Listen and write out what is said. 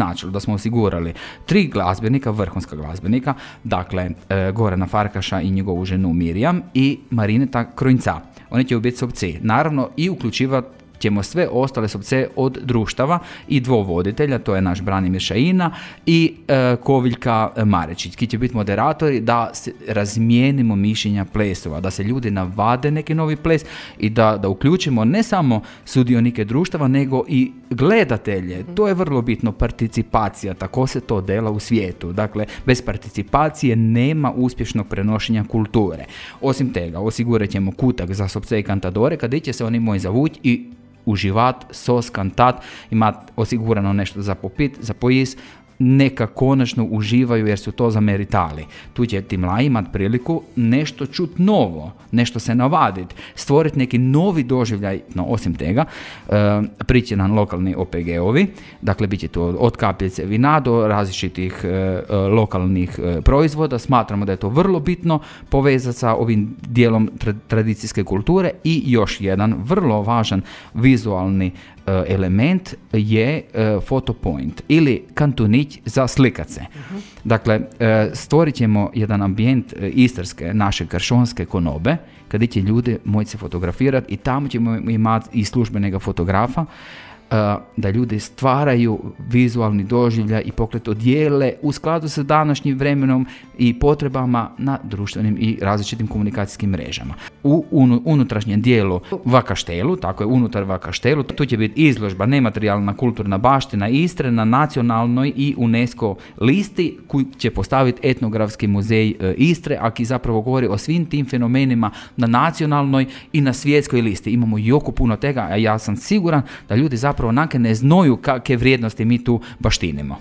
Načelo da smo osigurali 3 glazbenika, vrhunska glazbenika, dakle Gorana Farkaša i njegovu ženu Mirjam i Marineta Krojnca. Oni će biti sobci. Naravno i uključivati ćemo sve ostale sobce od društava i 2 voditelja, to je naš Branimir Šajina i Koviljka Marečić, ki će biti moderatori da se razmijenimo mišljenja plesova, da se ljudi navade neki novi ples i da uključimo ne samo sudionike društava, nego i gledatelje. To je vrlo bitno, participacija, tako se to dela u svijetu. Dakle, bez participacije nema uspješnog prenošenja kulture. Osim tega, osigurat ćemo kutak za sobce i kantadore, kada će se oni moji zavući i uživat, sos, kantat, imat osigurano nešto za popit, za pojist, neka konačno uživaju jer su to zameritali. Tu će ti mladi imati priliku nešto čut novo, nešto se navaditi, stvoriti neki novi doživljaj, no osim tega, priće nam lokalni OPG-ovi, dakle bit će to od kapljice vina do različitih lokalnih proizvoda, smatramo da je to vrlo bitno povezati sa ovim dijelom tradicijske kulture i još jedan vrlo važan vizualni element je fotopoint ili kantunić za slikace. Dakle, stvorit ćemo jedan ambijent istarske, naše kršonske konobe, kada će ljudi moći se fotografirati i tamo ćemo imati i službenega fotografa, da ljudi stvaraju vizualni doživljaj i pokret odijele u skladu sa današnjim vremenom i potrebama na društvenim i različitim komunikacijskim mrežama. U unutrašnjem dijelu Vakaštelu, tako je unutar Vakaštelu, tu će biti izložba nematerijalna kulturna baština Istre na nacionalnoj i UNESCO listi koju će postaviti Etnografski muzej Istre, a ki zapravo govori o svim tim fenomenima na nacionalnoj i na svjetskoj listi. Imamo jako puno tega, a ja sam siguran da ljudi zapravo ne znaju kakve vrijednosti mi tu baštinimo.